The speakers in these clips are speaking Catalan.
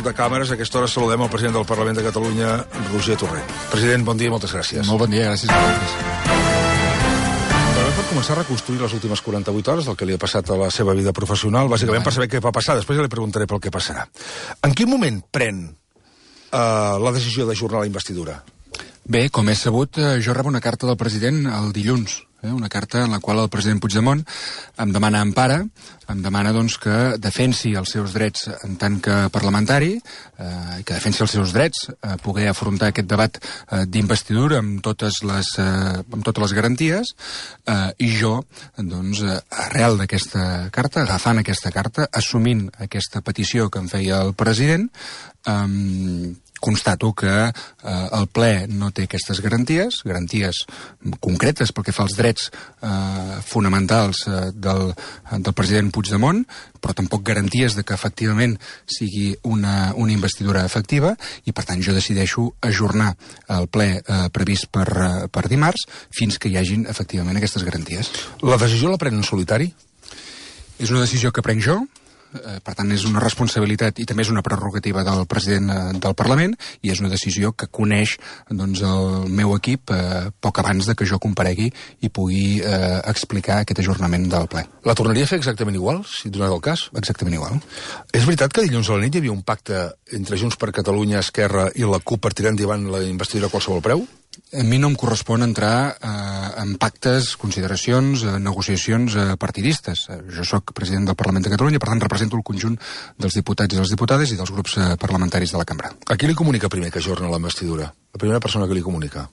control de càmeres. A aquesta hora saludem el president del Parlament de Catalunya, Roger Torrent. President, bon dia i moltes gràcies. Molt bon dia, gràcies a vosaltres. Per començar a reconstruir les últimes 48 hores del que li ha passat a la seva vida professional, bàsicament per saber què va passar. Després ja li preguntaré pel què passarà. En quin moment pren la decisió d'ajornar la investidura? Bé, com és sabut, jo rebo una carta del president el dilluns. Una carta en la qual el president Puigdemont em demana empara, em demana doncs, que defensi els seus drets en tant que parlamentari, que defensi els seus drets, poder afrontar aquest debat d'investidura amb totes les garanties, i jo, doncs, arrel d'aquesta carta, agafant aquesta carta, assumint aquesta petició que em feia el president, constato que el ple no té aquestes garanties concretes pel que fa als drets fonamentals del president Puigdemont, però tampoc garanties de que efectivament sigui una investidura efectiva, i per tant jo decideixo ajornar el ple previst per dimarts fins que hi hagin efectivament aquestes garanties. La decisió la pren en solitari? És una decisió que prenc jo. Per tant, és una responsabilitat i també és una prerrogativa del president del Parlament, i és una decisió que coneix doncs, el meu equip poc abans de que jo comparegui i pugui explicar aquest ajornament del ple. La tornaria a fer exactament igual, si donat el cas? Exactament igual. És veritat que dilluns a la nit hi havia un pacte entre Junts per Catalunya, Esquerra i la CUP per tirar endavant la investidura a qualsevol preu? A mi no em correspon entrar en pactes, consideracions, negociacions partidistes. Jo sóc president del Parlament de Catalunya, per tant represento el conjunt dels diputats i les diputades i dels grups parlamentaris de la cambra. A qui li comunica primer que ajorna la investidura? La primera persona que li comunica?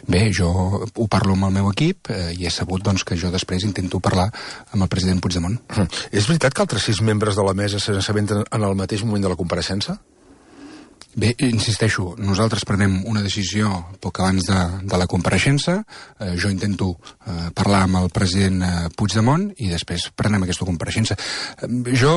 Bé, jo ho parlo amb el meu equip i he sabut doncs, que jo després intento parlar amb el president Puigdemont. És veritat que altres 6 membres de la mesa se n'assabenten en el mateix moment de la compareixença? Bé, insisteixo, nosaltres prenem una decisió poc abans de la compareixença, jo intento parlar amb el president Puigdemont i després prenem aquesta compareixença. Jo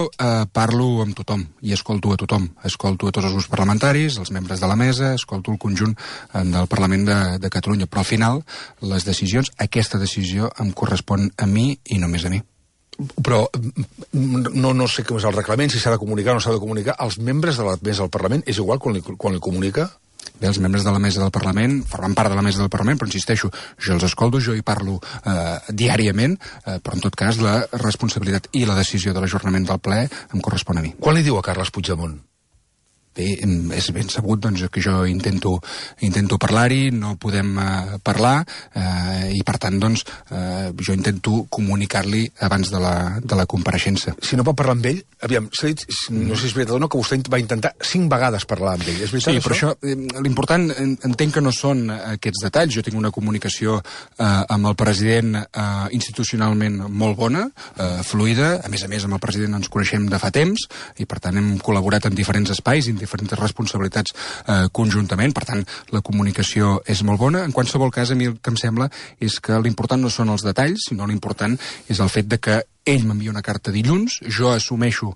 parlo amb tothom i escolto a tothom, escolto a tots els grups parlamentaris, els membres de la mesa, escolto el conjunt del Parlament de Catalunya, però al final les decisions, aquesta decisió em correspon a mi i només a mi. Però no sé com és el reglament, si s'ha de comunicar o no s'ha de comunicar. Els membres de la mesa del Parlament és igual quan li comunica? Bé, els membres de la mesa del Parlament formen part de la mesa del Parlament, però insisteixo, jo els escolto, jo hi parlo diàriament, però en tot cas la responsabilitat i la decisió de l'ajornament del ple em correspon a mi. Quan li diu a Carles Puigdemont? Bé, és ben sabut doncs, que jo intento parlar-hi, no podem parlar, i per tant doncs, jo intento comunicar-li abans de la compareixença. Si no pot parlar amb ell, aviam, s'ha dit, no sé si és veritat o no, que vostè va intentar 5 vegades parlar amb ell. És veritat, sí, però això, l'important entenc que no són aquests detalls. Jo tinc una comunicació amb el president institucionalment molt bona, fluida. A més, amb el president ens coneixem de fa temps i per tant hem col·laborat en diferents espais i en diferents responsabilitats conjuntament, per tant la comunicació és molt bona. En qualsevol cas, a mi el que em sembla és que l'important no són els detalls, sinó l'important és el fet de que ell m'envia una carta dilluns, jo assumeixo,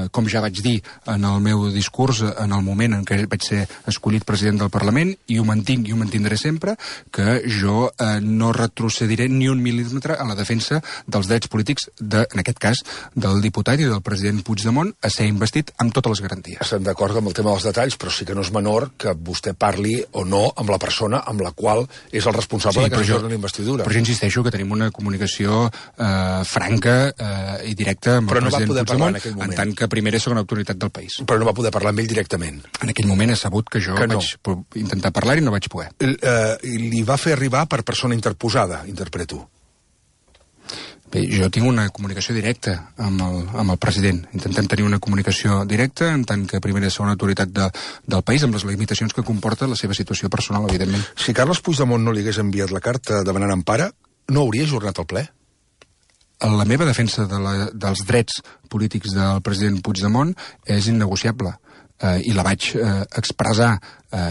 com ja vaig dir en el meu discurs, en el moment en què vaig ser escollit president del Parlament, i ho mantinc i ho mantindré sempre, que jo no retrocediré ni un mil·límetre en la defensa dels drets polítics, en aquest cas, del diputat i del president Puigdemont, a ser investit amb totes les garanties. Estem d'acord amb el tema dels detalls, però sí que no és menor que vostè parli o no amb la persona amb la qual és el responsable de que s'ajorni la investidura. Però jo insisteixo que tenim una comunicació franca i directe amb el president Puigdemont, en tant que primera i segona autoritat del país. Però no va poder parlar amb ell directament? En aquell moment he sabut que jo vaig intentar parlar i no vaig poder. Li va fer arribar per persona interposada, interpreto? Bé, jo tinc una comunicació directa amb el president. Intentem tenir una comunicació directa en tant que primera i segona autoritat del país, amb les limitacions que comporta la seva situació personal, evidentment. Si Carles Puigdemont no li hagués enviat la carta demanant empara, no hauria ajornat el ple? La meva defensa dels drets polítics del president Puigdemont és innegociable, i la vaig expressar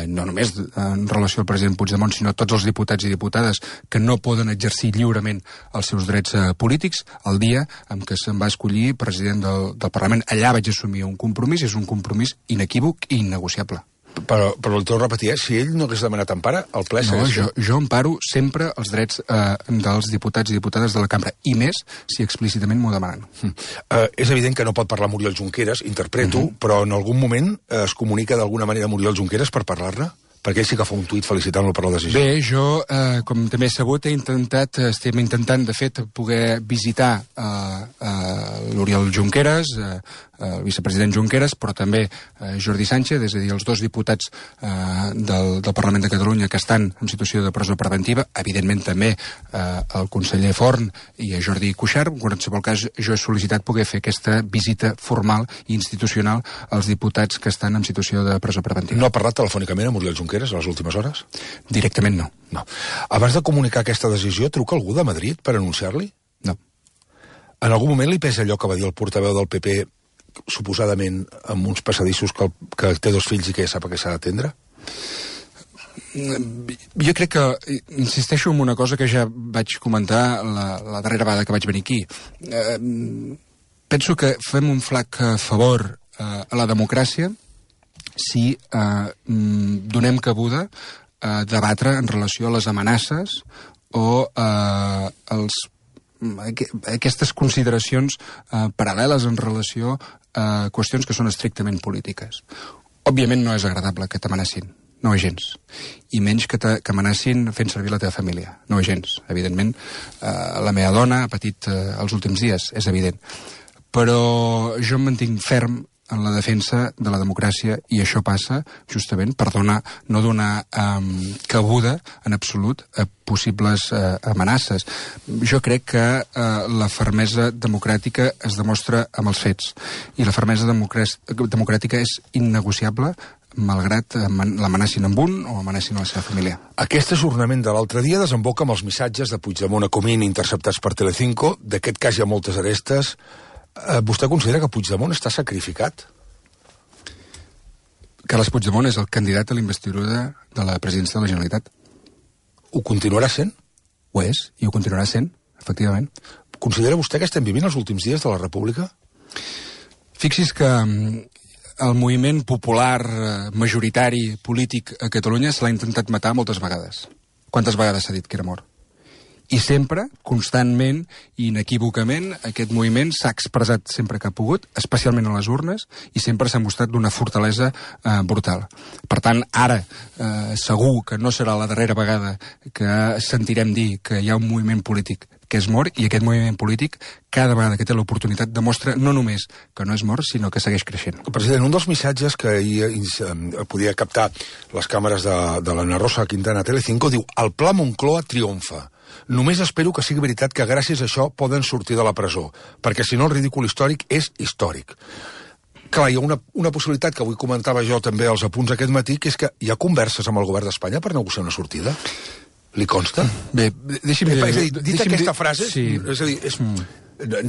no només en relació al president Puigdemont, sinó a tots els diputats i diputades que no poden exercir lliurement els seus drets polítics el dia en què se'm va escollir president del Parlament. Allà vaig assumir un compromís, és un compromís inequívoc i innegociable. Però el torno a repetir, si ell no hagués demanat empara, el ple segueix... No, jo emparo sempre els drets dels diputats i diputades de la cambra, i més si explícitament m'ho demanen. És evident que no pot parlar Muriel Junqueras, interpreto, però en algun moment es comunica d'alguna manera Muriel Junqueras per parlar-ne? Perquè ell sí que fa un tuit felicitant-lo per la decisió. Bé, jo, com també he sabut, estem intentant, de fet, poder visitar l'Oriol Junqueras, el vicepresident Junqueras, però també Jordi Sánchez, és a dir, els dos diputats del Parlament de Catalunya que estan en situació de presó preventiva, evidentment també el conseller Forn i a Jordi Cuixart. En qualsevol cas, jo he sol·licitat poder fer aquesta visita formal i institucional als diputats que estan en situació de presó preventiva. No ha parlat telefònicament amb Oriol Junqueras a les últimes hores? Directament no. No. Abans de comunicar aquesta decisió, truca algú de Madrid per anunciar-li? No. En algun moment li pesa allò que va dir el portaveu del PP, suposadament amb uns passadissos que té dos fills i que ja sap que s'ha d'atendre? Jo crec que, insisteixo en una cosa que ja vaig comentar la darrera vegada que vaig venir aquí. Penso que fem un flac favor a la democràcia si donem cabuda a debatre en relació a les amenaces o aquestes consideracions paral·leles en relació a qüestions que són estrictament polítiques. Òbviament no és agradable que t'amenacin, no és gens. I menys que amenacin fent servir la teva família, no és gens. Evidentment, la meva dona ha patit els últims dies, és evident. Però jo em mantinc ferm en la defensa de la democràcia i això passa justament per no donar cabuda en absolut a possibles amenaces. Jo crec que la fermesa democràtica es demostra amb els fets i la fermesa democràtica és innegociable malgrat l'amenacin amb un o amenacin a la seva família. Aquest ajornament de l'altre dia desemboca amb els missatges de Puigdemont a Comín interceptats per Telecinco. D'aquest cas hi ha moltes arestes. Vostè considera que Puigdemont està sacrificat? Carles Puigdemont és el candidat a la investidura de la presidència de la Generalitat. Ho continuarà sent? Ho és, i ho continuarà sent, efectivament. Considera vostè que estem vivint els últims dies de la República? Fixi's que el moviment popular majoritari polític a Catalunya se l'ha intentat matar moltes vegades. Quantes vegades s'ha dit que era mort? I sempre, constantment i inequívocament, aquest moviment s'ha expressat sempre que ha pogut, especialment a les urnes, i sempre s'ha mostrat d'una fortalesa brutal. Per tant, ara, segur que no serà la darrera vegada que sentirem dir que hi ha un moviment polític que és mort, i aquest moviment polític, cada vegada que té l'oportunitat, demostra no només que no és mort, sinó que segueix creixent. President, un dels missatges que ahir podia captar les càmeres de l'Anna Rosa Quintana a Telecinco diu: el pla Moncloa triomfa. Només espero que sigui veritat que gràcies a això poden sortir de la presó, perquè si no el ridícul històric és històric. Clar, hi ha una possibilitat que avui comentava jo també als apunts aquest matí, que és que hi ha converses amb el govern d'Espanya per negociar una sortida. Li consta? Bé, deixi'm dir... És a dir, dit aquesta frase, sí. És a dir,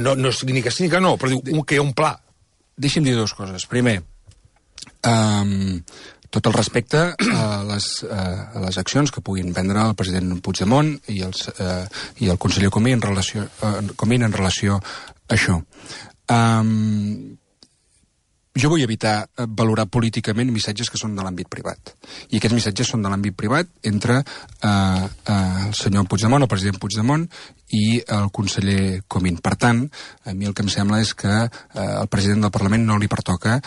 no és ni que sí ni que no, però diu que hi ha un pla. Deixi'm dir dues coses. Primer, tot el respecte a les accions que puguin prendre el president Puigdemont i el conseller Comín en relació a això. Jo vull evitar valorar políticament missatges que són de l'àmbit privat. I aquests missatges són de l'àmbit privat entre el senyor Puigdemont, el president Puigdemont, i el conseller Comín. Per tant, a mi el que em sembla és que al president del Parlament no li pertoca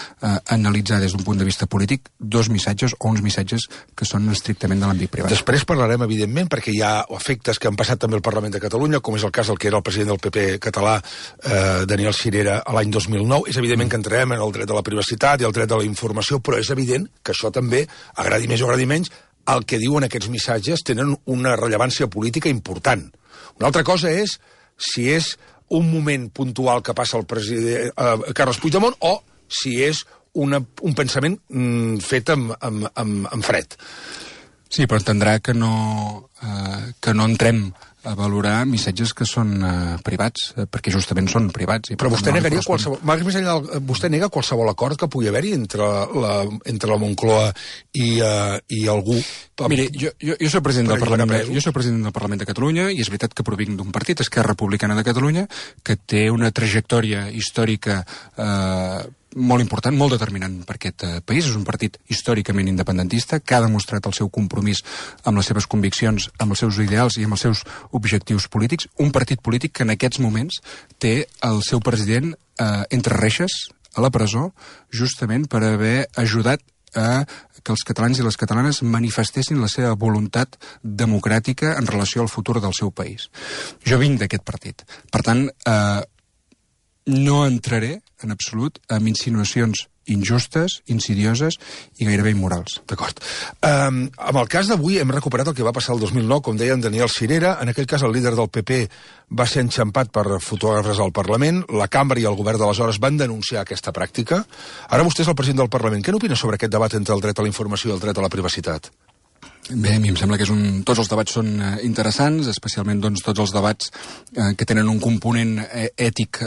analitzar des d'un punt de vista polític dos missatges o uns missatges que són estrictament de l'àmbit privat. Després parlarem, evidentment, perquè hi ha efectes que han passat també al Parlament de Catalunya, com és el cas del que era el president del PP català, Daniel Sirera, a l'any 2009. És evident que entrarem en el dret de la privacitat i el dret de la informació, però és evident que això també, agradi més o agradi menys, el que diuen aquests missatges tenen una rellevància política important. Una altra cosa és si és un moment puntual que passa el president Carles Puigdemont o si és un pensament fet amb fred. Sí, però entendrà que no entrem a valorar missatges que són privats, perquè justament són privats. Però vostè negaria qualsevol... Més enllà, vostè nega qualsevol acord que pugui haver-hi entre la Moncloa i algú... Miri, jo soc president del Parlament de Catalunya i és veritat que provinc d'un partit, Esquerra Republicana de Catalunya, que té una trajectòria històrica molt important, molt determinant per aquest país. És un partit històricament independentista que ha demostrat el seu compromís amb les seves conviccions, amb els seus ideals i amb els seus objectius polítics. Un partit polític que en aquests moments té el seu president entre reixes a la presó, justament per haver ajudat a que els catalans i les catalanes manifestessin la seva voluntat democràtica en relació al futur del seu país. Jo vinc d'aquest partit. Per tant, no entraré en absolut en insinuacions injustes, insidioses i gairebé immorals. D'acord. Amb el cas d'avui hem recuperat el que va passar el 2009, com deia en Daniel Sirera. En aquell cas el líder del PP va ser enxampat per fotògrafs al Parlament, la cambra i el govern d'aleshores van denunciar aquesta pràctica. Ara vostè és el president del Parlament. Què n'opina sobre aquest debat entre el dret a la informació i el dret a la privacitat? Bé, a mi em sembla que tots els debats són interessants, especialment doncs, tots els debats que tenen un component ètic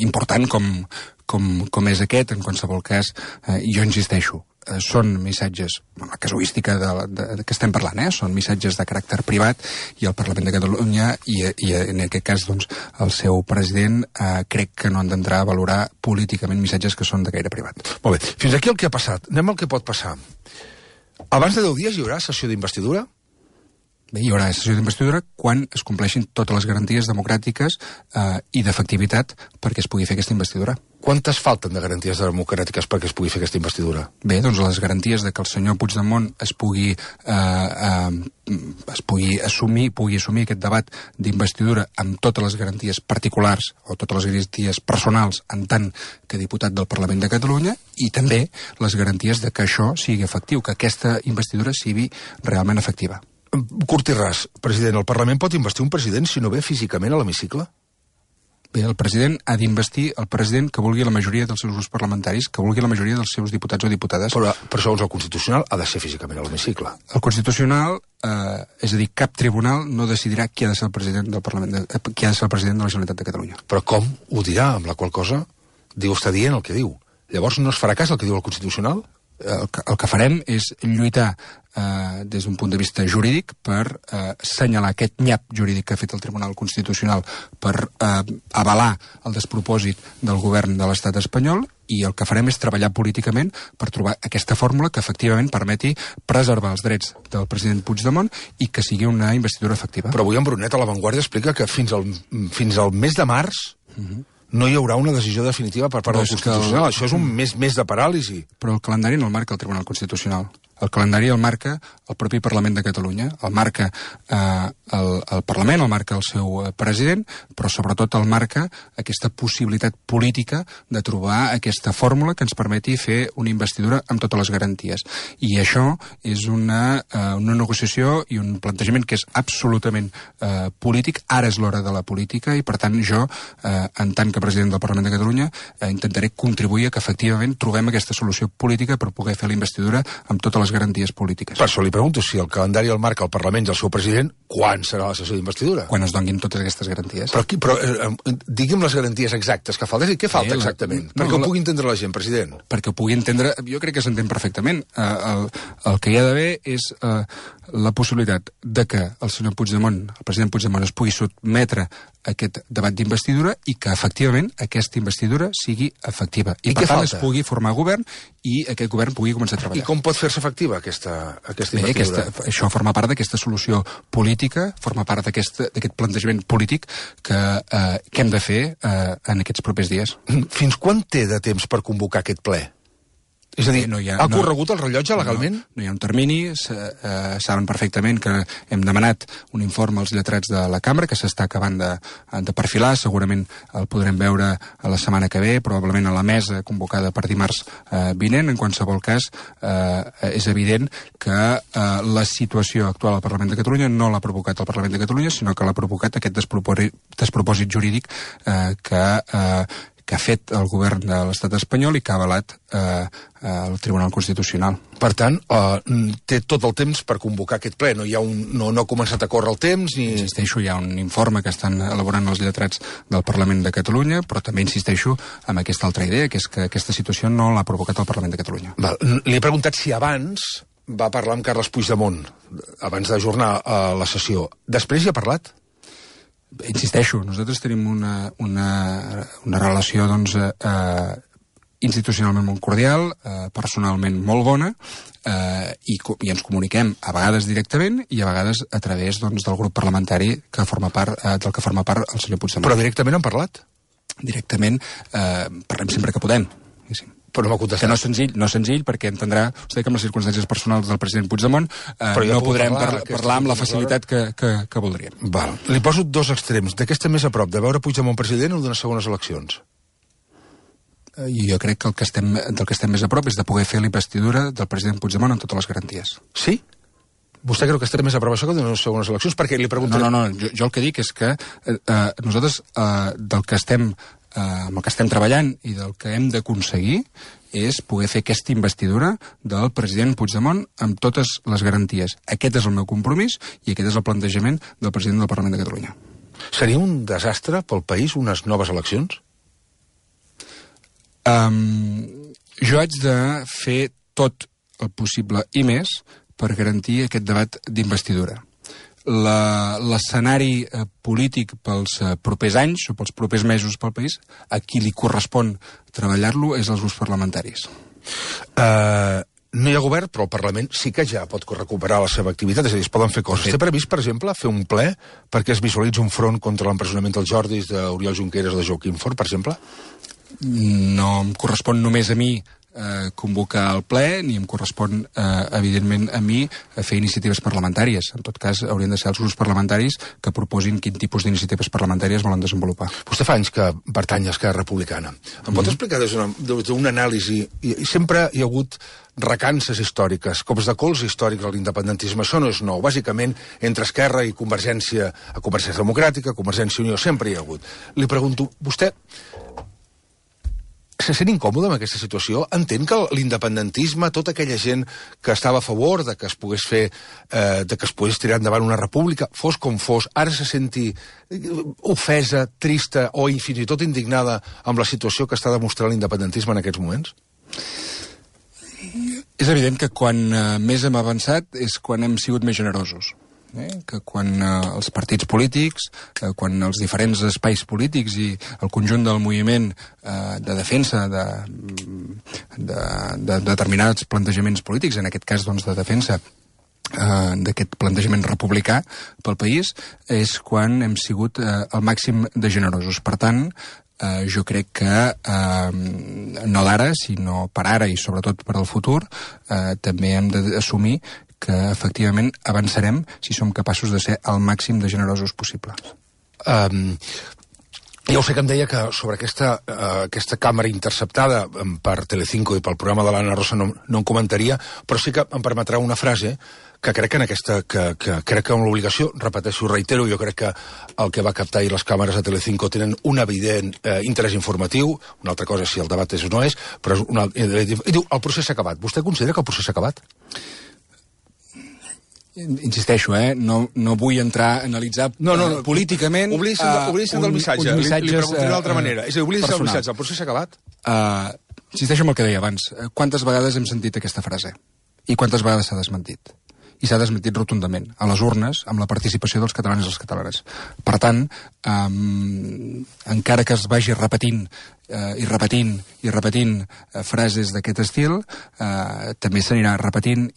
important com és aquest. En qualsevol cas, jo insisteixo, són missatges, la casuística que estem parlant, són missatges de caràcter privat i el Parlament de Catalunya i en aquest cas doncs, el seu president crec que no han d'entrar a valorar políticament missatges que són de gaire privat. Molt bé, fins aquí el que ha passat. Anem al que pot passar. Abans de 10 dies hi haurà sessió d'investidura? Bé, hi haurà sessió d'investidura quan es compleixin totes les garanties democràtiques i d'efectivitat perquè es pugui fer aquesta investidura. Quantes falten de garanties democràtiques perquè es pugui fer aquesta investidura? Bé, doncs les garanties de que el senyor Puigdemont pugui assumir aquest debat d'investidura amb totes les garanties particulars o totes les garanties personals en tant que diputat del Parlament de Catalunya i també les garanties de que això sigui efectiu, que aquesta investidura sigui realment efectiva. Curt i ras, president, el Parlament pot investir un president si no ve físicament a l'hemicicle? Bé, el president ha d'investir el president que vulgui la majoria dels seus grups parlamentaris, que vulgui la majoria dels seus diputats o diputades. Però segons el Constitucional ha de ser físicament a l'hemicicle. El Constitucional, és a dir, cap tribunal no decidirà qui ha de ser el president del Parlament, qui ha de ser el president de la Generalitat de Catalunya. Però com ho dirà, amb la qual cosa està dient el que diu? Llavors no es farà cas el que diu el Constitucional? El que farem és lluitar des d'un punt de vista jurídic per assenyalar aquest nyap jurídic que ha fet el Tribunal Constitucional per avalar el despropòsit del govern de l'estat espanyol i el que farem és treballar políticament per trobar aquesta fórmula que efectivament permeti preservar els drets del president Puigdemont i que sigui una investidura efectiva. Però avui en Brunet a La Vanguardia explica que fins al mes de març no hi haurà una decisió definitiva per part del Constitucional. Això és un mes de paràlisi. Però el calendari no el marca el Tribunal Constitucional. El calendari el marca el propi Parlament de Catalunya, el marca el Parlament, el marca el seu president, però sobretot el marca aquesta possibilitat política de trobar aquesta fórmula que ens permeti fer una investidura amb totes les garanties. I això és una negociació i un plantejament que és absolutament polític. Ara és l'hora de la política i, per tant, jo, en tant que president del Parlament de Catalunya, intentaré contribuir a que efectivament trobem aquesta solució política per poder fer la investidura amb totes les garanties polítiques. Per això li pregunto si el calendari el marca el Parlament i el seu president, quan serà la sessió d'investidura? Quan es donin totes aquestes garanties. Però digui'm les garanties exactes que falten. Què falta exactament? Perquè ho pugui entendre la gent, president. Perquè ho pugui entendre, jo crec que s'entén perfectament. El que hi ha d'haver és la possibilitat de que el senyor Puigdemont, el president Puigdemont, es pugui sotmetre a aquest debat d'investidura i que efectivament aquesta investidura sigui efectiva. I per tant es pugui formar govern i aquest govern pugui començar a treballar. I com pot fer-se efectiva aquesta investidura? Això forma part d'aquesta solució política, forma part d'aquest plantejament polític que hem de fer en aquests propers dies. Fins quan té de temps per convocar aquest ple? És a dir, ha corregut el rellotge legalment? No hi ha un termini, saben perfectament que hem demanat un informe als lletrats de la cambra que s'està acabant de perfilar, segurament el podrem veure a la setmana que ve, probablement a la mesa convocada per dimarts vinent. En qualsevol cas, és evident que la situació actual al Parlament de Catalunya no l'ha provocat el Parlament de Catalunya, sinó que l'ha provocat aquest despropòsit jurídic que ha fet el govern de l'estat espanyol i que ha avalat el Tribunal Constitucional. Per tant, té tot el temps per convocar aquest ple. No ha començat a córrer el temps ni... Insisteixo, hi ha un informe que estan elaborant els lletrats del Parlament de Catalunya, però també insisteixo en aquesta altra idea, que és que aquesta situació no l'ha provocat el Parlament de Catalunya. Li he preguntat si abans va parlar amb Carles Puigdemont, abans d'ajornar la sessió. Després hi ha parlat? insisteixo, nosaltres tenim una relació, doncs, institucionalment molt cordial, personalment molt bona, i ens comuniquem a vegades directament i a vegades a través, doncs, del grup parlamentari del que forma part el senyor Puigdemont. Però directament han parlat? Directament parlem sempre que podem. Però no m'ha contestat. Que no és senzill, perquè entendrà vostè que amb les circumstàncies personals del president Puigdemont no podrem parlar amb la facilitat que voldríem. Val. Li poso dos extrems. De què estem més a prop, de veure Puigdemont president o d'unes segones eleccions? Jo crec que del que estem més a prop és de poder fer la investidura del president Puigdemont amb totes les garanties. Sí? Vostè creu que estarà més a prop això que d'unes segones eleccions? Perquè li pregunto... No, jo el que dic és que nosaltres amb el que estem treballant i del que hem d'aconseguir és poder fer aquesta investidura del president Puigdemont amb totes les garanties. Aquest és el meu compromís i aquest és el plantejament del president del Parlament de Catalunya. Seria un desastre pel país unes noves eleccions? Jo haig de fer tot el possible i més per garantir aquest debat d'investidura. L'escenari polític pels propers anys o pels propers mesos pel país, a qui li correspon treballar-lo és als grups parlamentaris. No hi ha govern, però el Parlament sí que ja pot recuperar la seva activitat, és a dir, es poden fer coses. Té previst, per exemple, fer un ple perquè es visualitzi un front contra l'empresonament dels Jordis, d'Oriol Junqueras o de Joaquim Forn, per exemple? No em correspon només a mi convocar el ple, ni em correspon, evidentment, a mi fer iniciatives parlamentàries. En tot cas, haurien de ser els grups parlamentaris que proposin quin tipus d'iniciatives parlamentàries volen desenvolupar. Vostè fa anys que pertany a Esquerra Republicana. Em pot explicar des d'una anàlisi, i sempre hi ha hagut recances històriques, cops de cols històrics a l'independentisme, això no és nou. Bàsicament, entre Esquerra i Convergència Democràtica, Convergència i Unió, sempre hi ha hagut. Li pregunto, vostè se sent incòmode amb aquesta situació? Entén que l'independentisme, tota aquella gent que estava a favor de que es pogués fer, de que es pogués tirar endavant una república, fos com fos, ara se senti ofesa, trista o fins i tot indignada amb la situació que està demostrant l'independentisme en aquests moments? És evident que quan més hem avançat és quan hem sigut més generosos. Que quan els partits polítics, quan els diferents espais polítics i el conjunt del moviment de defensa de determinats plantejaments polítics, en aquest cas doncs, de defensa d'aquest plantejament republicà pel país, és quan hem sigut el màxim de generosos. Per tant, jo crec que no d'ara, sinó per ara i sobretot per al futur, també hem d'assumir que efectivament avançarem si som capaços de ser el màxim de generosos possible. Ja ho sé que em deia que sobre aquesta càmera interceptada per Telecinco i pel programa de l'Anna Rosa no en comentaria, però sí que em permetrà una frase que crec que crec que amb l'obligació, repeteixo, reitero, jo crec que el que va captar ahir les càmeres de Telecinco tenen un evident interès informatiu, una altra cosa si el debat és o no és, però i diu, el procés s'ha acabat. Vostè considera que el procés s'ha acabat? Insisteixo, no vull entrar a analitzar políticament... Oblidis del missatge, li preguntaré d'altra manera. És a dir, oblidis del missatge, el procés s'ha acabat? Insisteixo en el que deia abans. Quantes vegades hem sentit aquesta frase? I quantes vegades s'ha desmentit? I s'ha desmentit rotundament, a les urnes, amb la participació dels catalans i les catalanes. Per tant, encara que es vagi repetint frases d'aquest estil, també s'anirà repetint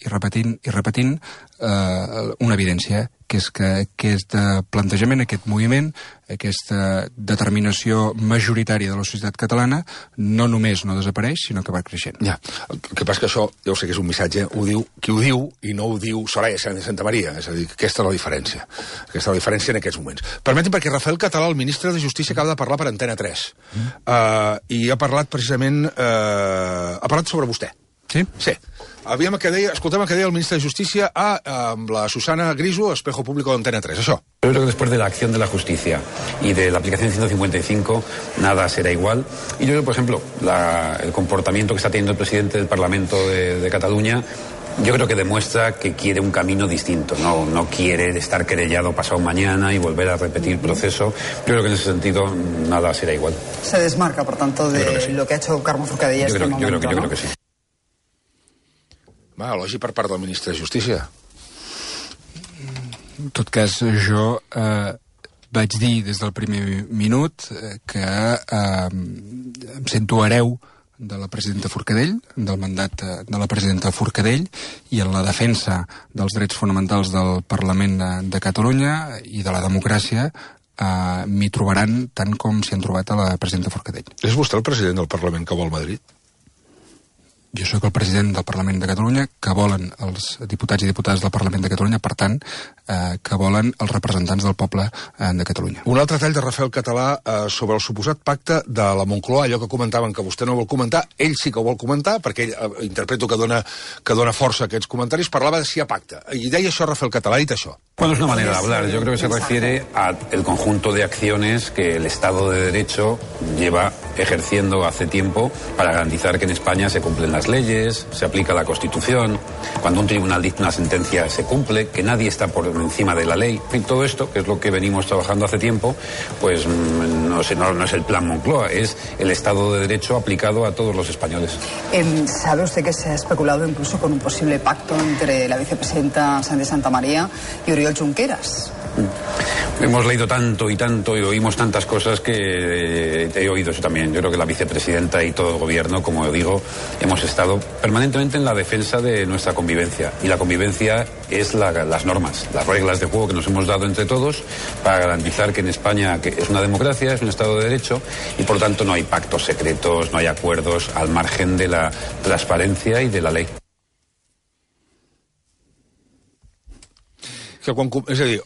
una evidència, que és que aquest plantejament, aquest moviment, aquesta determinació majoritària de la societat catalana no només no desapareix, sinó que va creixent. Ja, el que passa que això, ja ho sé que és un missatge, ho diu qui ho diu i no ho diu Soraya de Santa Maria, és a dir, aquesta és la diferència. Aquesta és la diferència en aquests moments. Permeti'm, perquè Rafael Català, el ministre de Justícia, acaba de parlar per Antena 3, i ha parlat precisament, ha parlat sobre vostè. Sí? Sí. Escoltem el que deia el ministre de Justicia amb la Susana Griso, Espejo Público de Antena 3, això. Yo creo que después de la acción de la justicia y de la aplicación 155, nada será igual. Y yo creo, por ejemplo, el comportamiento que está teniendo el presidente del Parlamento de Cataluña, yo creo que demuestra que quiere un camino distinto, no quiere estar querellado pasado mañana y volver a repetir el proceso. Yo creo que en ese sentido nada será igual. Se desmarca, por tanto, de sí. Lo que ha hecho Carme Forcadell. Yo creo que sí. Va, elogi per part del ministre de Justícia. En tot cas, jo vaig dir des del primer minut que em sento hereu de la presidenta Forcadell, del mandat de la presidenta Forcadell, i en la defensa dels drets fonamentals del Parlament de Catalunya i de la democràcia m'hi trobaran tant com s'hi han trobat a la presidenta Forcadell. És vostè el president del Parlament que vol Madrid? Jo sóc el president del Parlament de Catalunya, que volen els diputats i diputades del Parlament de Catalunya, per tant, que volen els representants del poble de Catalunya. Un altre tall de Rafael Català sobre el suposat pacte de la Moncloa, allò que comentaven que vostè no vol comentar, ell sí que ho vol comentar, perquè ell interpreto que dona força a aquests comentaris, parlava de si hi ha pacte. I deia això Rafael Català, ha dit això. Bueno, es una manera de hablar. Yo creo que se refiere al conjunto de acciones que el Estado de Derecho lleva ejerciendo hace tiempo para garantizar que en España se cumplen las leyes, se aplica la Constitución, cuando un tribunal dicta una sentencia se cumple, que nadie está por encima de la ley. En fin, todo esto, que es lo que venimos trabajando hace tiempo, pues no es el plan Moncloa, es el Estado de Derecho aplicado a todos los españoles. ¿Sabe usted que se ha especulado incluso con un posible pacto entre la vicepresidenta Sánchez Santamaría y Oriol Junqueras? Hemos leído tanto y tanto y oímos tantas cosas que he oído eso también. Yo creo que la vicepresidenta y todo el gobierno, como digo, hemos estado permanentemente en la defensa de nuestra convivencia. Y la convivencia es las normas, las reglas de juego que nos hemos dado entre todos para garantizar que en España, que es una democracia, es un Estado de Derecho, y por tanto no hay pactos secretos, no hay acuerdos al margen de la transparencia y de la ley. És a dir,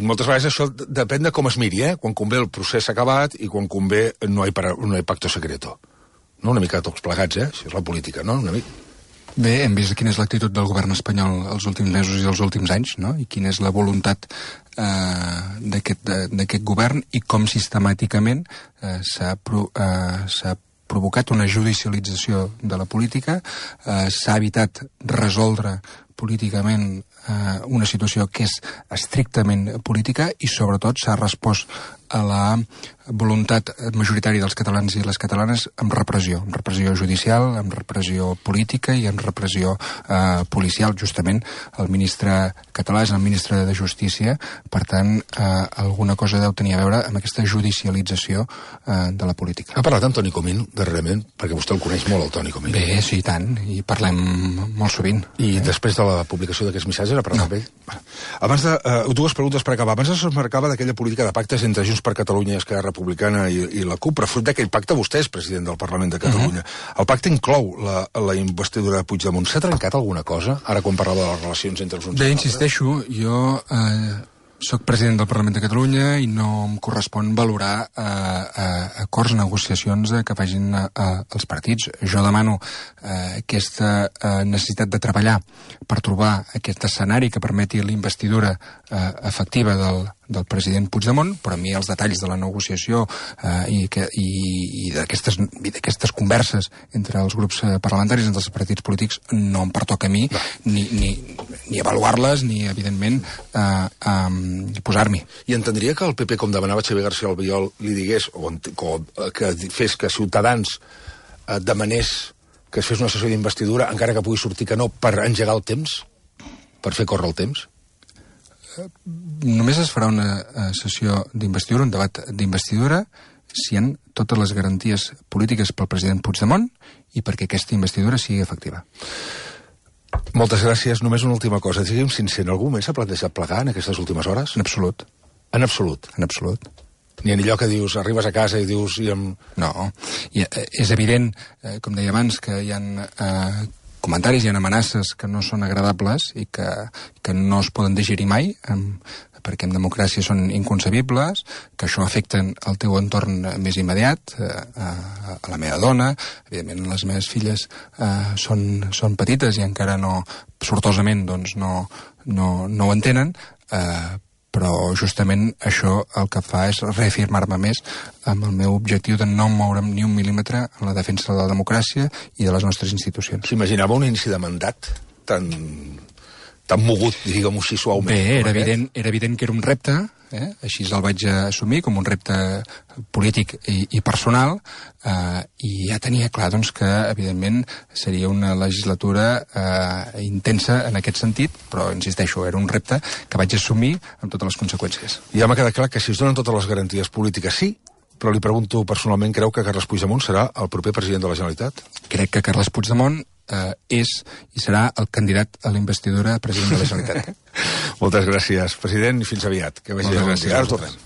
moltes vegades això depèn de com es miri, quan convé el procés s'ha acabat i quan convé no hi ha pacto secreto. No, una mica tots plegats, això és la política, no? Una mica. Bé, hem vist quina és l'actitud del govern espanyol els últims mesos i els últims anys, no? I quina és la voluntat d'aquest govern i com sistemàticament s'ha provocat una judicialització de la política, s'ha evitat resoldre políticament una situació que és estrictament política i sobretot s'ha respost a la voluntat majoritària dels catalans i les catalanes amb repressió judicial, amb repressió política i amb repressió policial. Justament el ministre català és el ministre de Justícia, per tant alguna cosa deu tenir a veure amb aquesta judicialització de la política. Ha parlat amb Toni Comín darrerament, perquè vostè el coneix molt, el Toni Comín. Bé, sí, tant, i parlem molt sovint. I després de la publicació d'aquests missatges ha parlat amb ell? Abans de... dues preguntes per acabar. Abans es marcava d'aquella política de pactes entre Junts per Catalunya i Esquerra Republicana i la CUP, però fruit d'aquell pacte vostè és president del Parlament de Catalunya. El pacte inclou la investidura de Puigdemont. S'ha trencat alguna cosa, ara quan parlava de les relacions entre els uns i els altres? Bé, insisteixo, jo soc president del Parlament de Catalunya i no em correspon valorar acords, negociacions que facin els partits. Jo demano aquesta necessitat de treballar per trobar aquest escenari que permeti la investidura efectiva del president Puigdemont, però a mi els detalls de la negociació i d'aquestes converses entre els grups parlamentaris, entre els partits polítics, no em pertoca a mi ni avaluar-les ni, evidentment, posar-m'hi. I entendria que el PP, com demanava Xavier García Albiol, li digués, o que fes que Ciutadans demanés que es fes una sessió d'investidura, encara que pugui sortir que no, per engegar el temps? Per fer córrer el temps? Només es farà una sessió d'investidura, un debat d'investidura, si hi ha totes les garanties polítiques pel president Puigdemont i perquè aquesta investidura sigui efectiva. Moltes gràcies. Només una última cosa. Digue'm sincer, algú més s'ha plantejat plegar en aquestes últimes hores? En absolut. En absolut? En absolut. Ni en allò que dius, arribes a casa i dius... No. És evident, com deia abans, que hi ha comentaris, hi ha amenaces que no són agradables i que no es poden digerir mai, perquè en democràcia són inconcebibles, que això afecten el teu entorn més immediat, a la meva dona, evidentment les meves filles són petites i encara no, sortosament, doncs no ho entenen, però justament això el que fa és reafirmar-me més amb el meu objectiu de no moure'm ni un mil·límetre en la defensa de la democràcia i de les nostres institucions. S'imaginava un inici de mandat tan tan mogut, diguem-ho així suaument. Bé, era evident que era un repte, així el vaig assumir com un repte polític i personal, i ja tenia clar doncs, que, evidentment, seria una legislatura intensa en aquest sentit, però, insisteixo, era un repte que vaig assumir amb totes les conseqüències. Ja m'ha quedat clar que si es donen totes les garanties polítiques, sí, però li pregunto personalment, creu que Carles Puigdemont serà el proper president de la Generalitat? Crec que Carles Puigdemont és i serà el candidat a la investidura president de la Generalitat. Moltes gràcies, president, i fins aviat. Que vagi bé. Ara tornem.